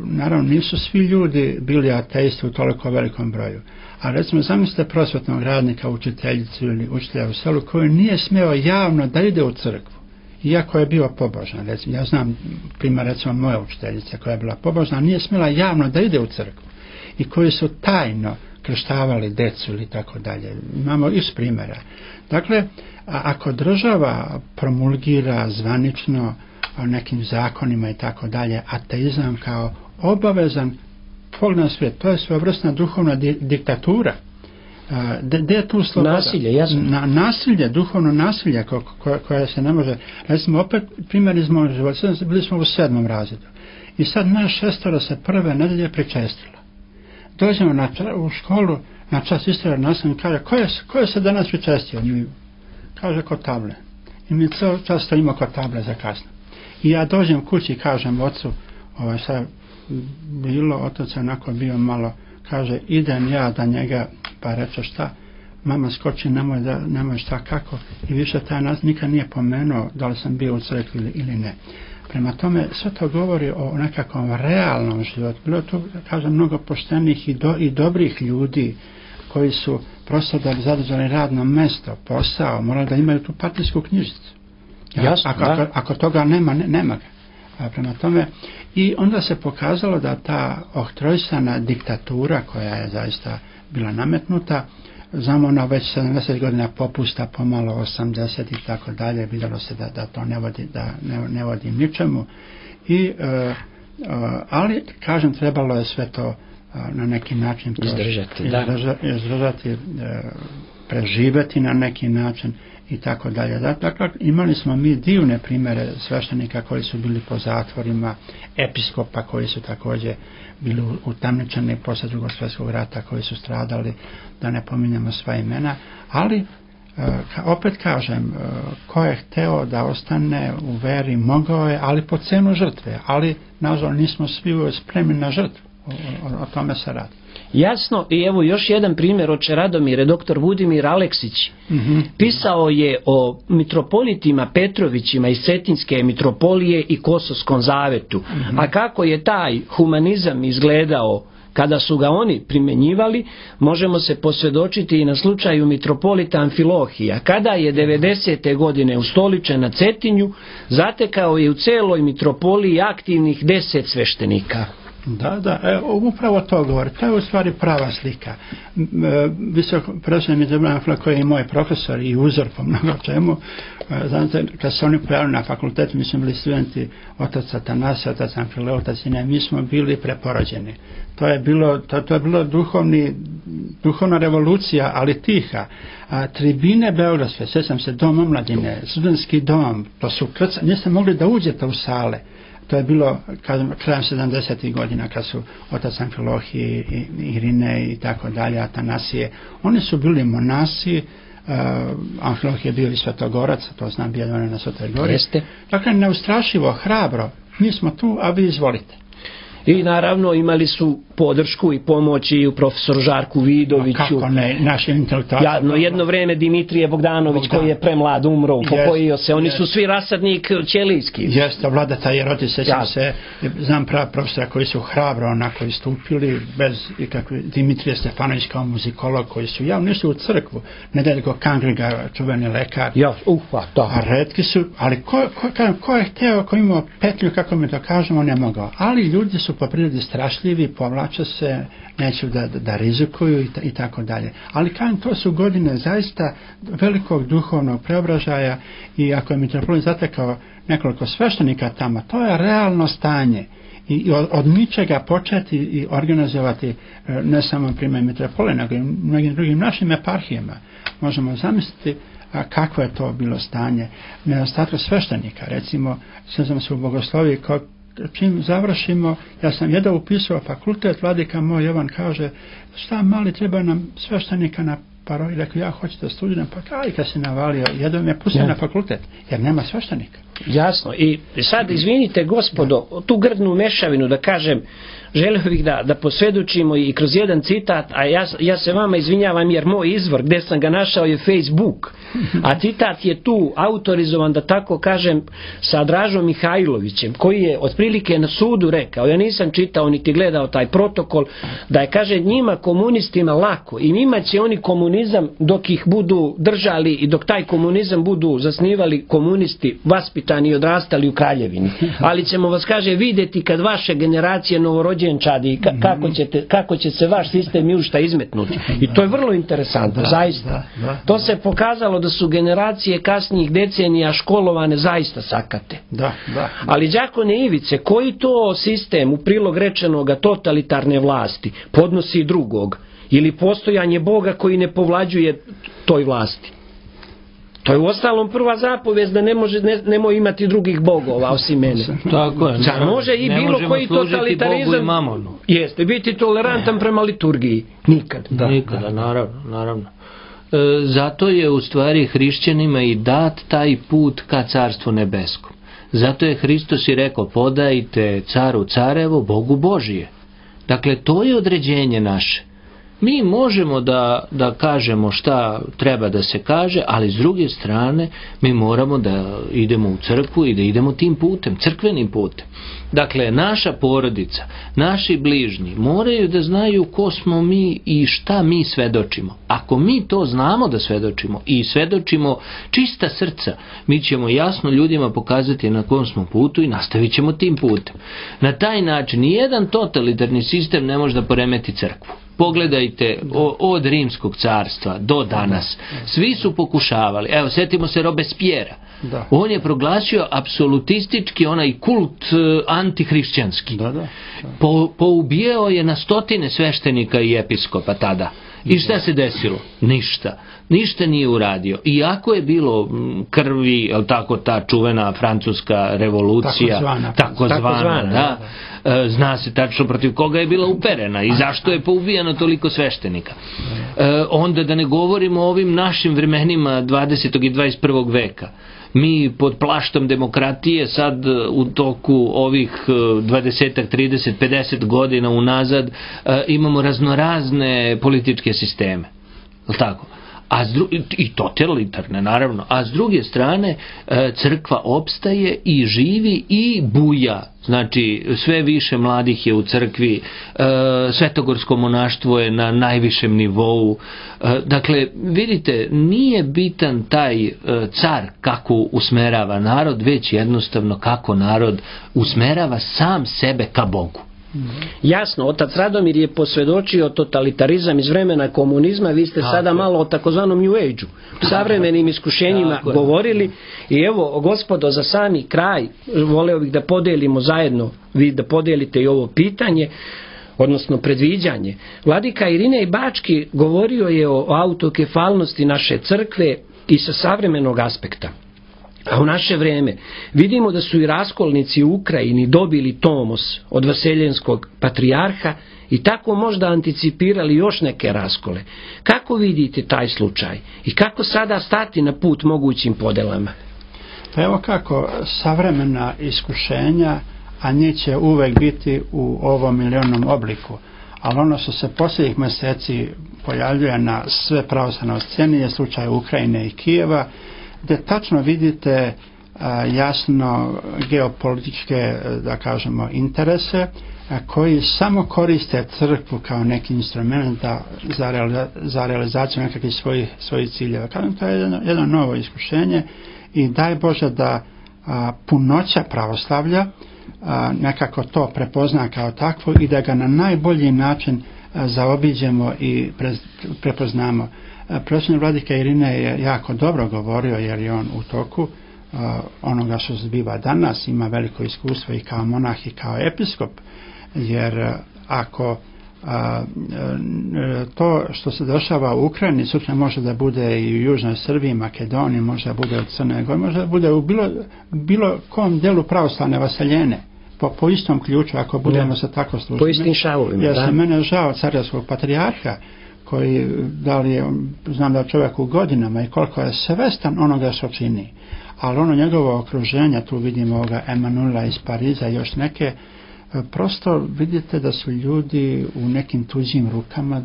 naravno nisu svi ljudi bili ateisti u toliko velikom broju, a recimo zamislite prosvetnog radnika, učiteljicu ili učitelja u selu koji nije smeo javno da ide u crkvu, iako je bio pobožan. Recimo, ja znam primjer recimo moje učiteljice koja je bila pobožna, nije smjela javno da ide u crkvu i koji su tajno krštavali decu ili tako dalje. Imamo iz primjera. Dakle, ako država promulgira zvanično nekim zakonima i tako dalje, ateizam kao obavezan pogled na svijet, to je svojevrsna duhovna diktatura. Gde je tu sloboda? Nasilje, jasno. Nasilje, duhovno nasilje koje se ne može. Recimo, opet primjer iz mojeg života, bili smo u 7. razredu i sad naš 6. se prve nedelje pričestilo. Dođemo u školu na čas istorije nastavnik kaže, ko je se danas pričestio? Mi kaže kod table. I mi cijel čas stojimo kod table za kasno. I ja dođem kući i kažem ocu, sad bilo, otac je onako bio malo, kaže, idem ja da njega, pa reče šta, mama skoči, nemoj šta kako, i više taj nas nikad nije pomenuo da li sam bio u crkvi ili ne. Prema tome, sve to govori o nekakvom realnom životu. Bilo tu, kažem, mnogo poštenih i dobrih ljudi koji su prosto da bi zadržali radno mesto, posao, morali da imaju tu partijsku knjižicu. Jasno, ako toga nema ga. Prema tome, i onda se pokazalo da ta oktrojsana diktatura koja je zaista bila nametnuta, znamo ona već 70 godina popusta, pomalo 80 i tako dalje, vidjelo se da to ne vodi ničemu. Ali, kažem, trebalo je sve to na neki način izdržati, preživeti na neki način i tako dalje. Dakle, imali smo mi divne primjere sveštenika koji su bili po zatvorima, episkopa koji su također bili utamničeni posle Drugog svjetskog rata, koji su stradali, da ne pominjamo sva imena, ali opet kažem, ko je hteo da ostane u veri mogao je, ali po cenu žrtve, ali nažalost nismo svi spremni na žrtvu. o tome se radi. Jasno, i evo još jedan primjer, oče Radomire, doktor Budimir Aleksić pisao je o mitropolitima Petrovićima iz Cetinske mitropolije i Kosovskom zavetu, a kako je taj humanizam izgledao kada su ga oni primjenjivali, možemo se posvjedočiti i na slučaju mitropolita Amfilohija. Kada je 90. godine ustoličen na Cetinju, zatekao je u celoj mitropoliji aktivnih 10 sveštenika. Da, upravo to govori. To je u stvari prava slika. Visoko profesor Mitropolit koji je i moj profesor i uzor po mnogo čemu, znate, kad se oni pojavili na fakultetu, mi smo bili studenti otac Atanasija, otac Amfilohije, otac Ine, mi smo bili preporođeni. To je bilo duhovna revolucija, ali tiha. Tribine Beogradske, sjećam se, Dom omladine, studentski dom, to su niste mogli da uđete u sale. To je bilo krajem 70. godina kad su otac Amfilohije, Irine i tako dalje, Atanasije. Oni su bili monasi, Amfilohije je bio i svetogorac, to znam, bio na Svetoj Gori. Dakle, neustrašivo, hrabro, mi smo tu, a vi izvolite. I naravno imali su podršku i pomoć i u profesoru Žarku Vidoviću. Kako ne, naši intelektualci. Jedno vreme Dimitrije Bogdanović koji je premlad umro, upokojio se. Oni su svi rasadnik ćelijski. Jeste, Vladeta Jeroti, sećam se, znam prava profesora koji su hrabro onako istupili, bez ikakve, Dimitrije Stefanović kao muzikolog koji su javno nisu u crkvu, Nedeljko Kangriga, čuveni lekar. A retki su, ali ko je hteo, ko imao petlju, kako mi to kažemo, ne mogao. Ali ljudi su po prirodi strašljivi, povlače se, neću da rizikuju i tako dalje. Ali kažem, to su godine zaista velikog duhovnog preobražaja i ako je mitropolit zatekao nekoliko sveštenika tamo, to je realno stanje. I od ničega početi i organizovati ne samo primjer mitropolije, nego i mnogim drugim našim eparhijama. Možemo zamisliti kako je to bilo stanje. Nedostatak sveštenika, recimo, sjećam se u Bogosloviji, čim završimo, ja sam jedno upisao fakultet, vladika moj Jovan kaže, šta mali, treba nam sveštenika na paroli, rekao, ja hoću da studiram, pa kaj kad se navalio, jedno me pustio na fakultet, jer nema sveštenika. Jasno, i sad izvinite gospodo, tu grdnu mešavinu da kažem, želio bih da posvjedočimo i kroz jedan citat, a ja se vama izvinjavam jer moj izvor gdje sam ga našao je Facebook, a citat je tu autorizovan, da tako kažem, sa Dražom Mihajlovićem, koji je otprilike na sudu rekao, ja nisam čitao niti gledao taj protokol, da je, kaže, njima komunistima lako i njima će oni komunizam dok ih budu držali i dok taj komunizam budu zasnivali komunisti, vaspitani i odrastali u Kraljevini. Ali ćemo vas, kaže, vidjeti kad vaše generacije novorođenčadi, kako će se vaš sistem jušta izmetnuti. I to je vrlo interesantno, zaista. To se pokazalo da su generacije kasnijih decenija školovane zaista sakate. Ali đakone Ivice, koji to sistem u prilog rečenoga totalitarne vlasti podnosi drugog? Ili postojanje Boga koji ne povlađuje toj vlasti? To je uostalom prva zapovijest da nemoj imati drugih bogova osim mene. Tako je. Može i bilo koji totalitarizam jeste biti tolerantan prema liturgiji. Nikada, naravno. Zato je u stvari hrišćanima i dat taj put ka carstvu nebeskom. Zato je Hristos i rekao, podajte caru carevo, Bogu Božije. Dakle, to je određenje naše. Mi možemo da kažemo šta treba da se kaže, ali s druge strane mi moramo da idemo u crkvu i da idemo tim putem, crkvenim putem. Dakle, naša porodica, naši bližnji moraju da znaju ko smo mi i šta mi svedočimo. Ako mi to znamo da svedočimo i svedočimo čista srca, mi ćemo jasno ljudima pokazati na kom smo putu i nastavit ćemo tim putem. Na taj način nijedan totalitarni sistem ne može da poremeti crkvu. Pogledajte od Rimskog carstva do danas. Svi su pokušavali. Evo, sjetimo se Robespierra. On je proglasio apsolutistički onaj kult antihrišćanski. Poubijao je na stotine sveštenika i episkopa tada. I šta se desilo? Ništa nije uradio. Iako je bilo krvi, tako ta čuvena francuska revolucija, takozvana, zna se tačno protiv koga je bila uperena i zašto je poubijano toliko sveštenika. Onda da ne govorimo o ovim našim vremenima 20. i 21. veka. Mi pod plaštom demokratije sad u toku ovih 20, 30, 50 godina unazad imamo raznorazne političke sisteme. Tako? I totalitarne naravno, a s druge strane crkva opstaje i živi i buja, znači sve više mladih je u crkvi, svetogorsko monaštvo je na najvišem nivou, dakle vidite, nije bitan taj car kako usmerava narod, već jednostavno kako narod usmerava sam sebe ka Bogu. Jasno, otac Radomir je posvjedočio totalitarizam iz vremena komunizma, vi ste sada malo o takozvanom New Age-u, savremenim iskušenjima govorili i evo, gospodo, za sami kraj voleo bih da podelimo zajedno, vi da podelite i ovo pitanje, odnosno predviđanje. Vladika Irinej Bački govorio je o autokefalnosti naše crkve i sa savremenog aspekta. A u naše vrijeme vidimo da su i raskolnici u Ukrajini dobili tomos od vaseljenskog patrijarha i tako možda anticipirali još neke raskole. Kako vidite taj slučaj i kako sada stati na put mogućim podelama? Pa evo kako, savremena iskušenja, a njih će uvek biti u ovom ili onom obliku. Ali ono što se posljednjih mjeseci pojavljuje na sve pravoslavnoj sceni je slučaj Ukrajine i Kijeva, gdje tačno vidite jasno geopolitičke, da kažemo, interese koji samo koriste crkvu kao neki instrument za realizaciju nekakvih svojih ciljeva. Kažem, to je jedno novo iskušenje i daj Bože da punoća pravoslavlja nekako to prepozna kao takvo i da ga na najbolji način zaobiđemo i prepoznamo. Predsjednik vladika Irinej je jako dobro govorio, jer je on u toku onoga što se zbiva danas, ima veliko iskustvo i kao monah i kao episkop, jer ako to što se dešava u Ukrajini sutra može da bude i u Južnoj Srbiji, Makedoniji, može da bude u Crnoj Gori, može da bude u bilo kom delu pravoslavne vaseljene, po istom ključu, ako budemo se tako služiti. Po istim šavovima, jer se mene žao carevskog patrijarha, koji, da li je, znam da je čovjek u godinama i koliko je svestan onoga što čini, ali ono njegovo okruženje, tu vidimo ovoga Emanuela iz Pariza i još neke, prosto vidite da su ljudi u nekim tuđim rukama,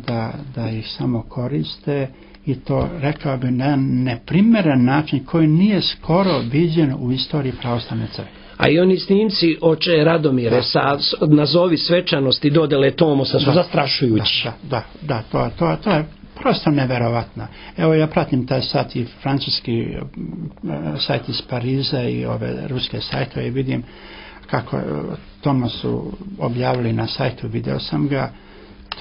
da ih samo koriste i to, rekao bi, na neprimeren način koji nije skoro viđen u istoriji pravoslavne crkve. A i oni snimci oče Radomire sa nazovi svečanosti dodele tomosa su zastrašujući. Da, to je prosto neverovatno. Evo, ja pratim taj sajt i francuski sajt iz Pariza i ove ruske sajtove i vidim kako tomos su objavili na sajtu, video sam ga.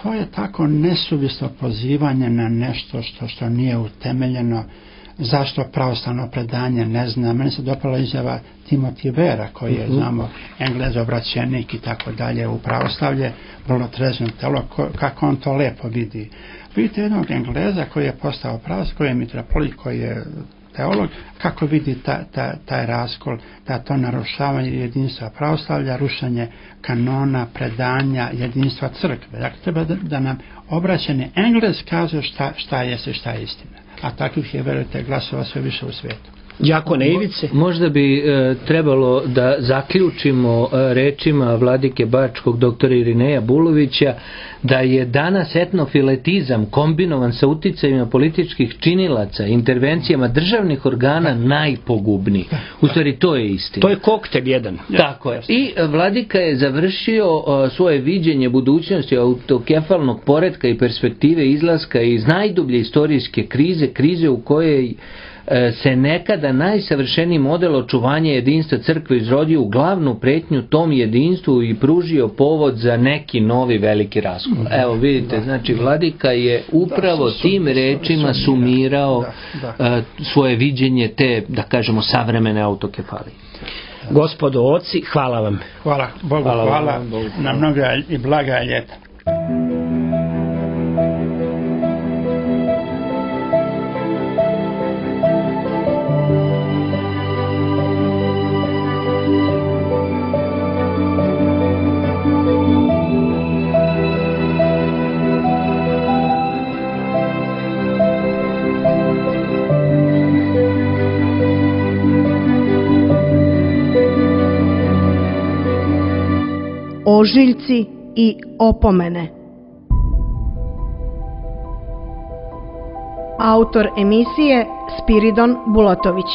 To je tako nesuvislo pozivanje na nešto što nije utemeljeno. Zašto pravoslavno predanje ne zna. Meni se dopala izjava Timothy Vera, koji je, znamo, Englez obraćenik i tako dalje u pravoslavlje, vrlo trezno telo, kako on to lepo vidi. Vidite jednog Engleza koji je postao pravoslav, koji je mitropolit, koji je teolog, kako vidi taj raskol, da to narušavanje jedinstva pravoslavlja, rušenje kanona, predanja, jedinstva crkve. Dakle, treba da nam obraćeni Englez kaže šta je istina. A takvih je, verujte, glasova sve više u svijetu. Đakone Ivice? Možda bi trebalo da zaključimo rečima vladike Bačkog doktora Irineja Bulovića da je danas etnofiletizam kombinovan sa uticajima političkih činilaca, intervencijama državnih organa najpogubniji. U stvari, to je istina. To je koktel jedan. Tako je. I vladika je završio svoje viđenje budućnosti autokefalnog poretka i perspektive izlaska iz najdublje istorijske krize u kojoj se nekada najsavršeniji model očuvanja jedinstva crkve izrodio u glavnu pretnju tom jedinstvu i pružio povod za neki novi veliki raskol. Evo vidite, znači vladika je upravo tim rečima sumirao svoje viđenje te, da kažemo, savremene autokefalije. Gospodo oci, hvala vam. Hvala Bogu, hvala na mnoga i blaga ljeta. ožiljci i opomene. Autor emisije Spiridon Bulatović.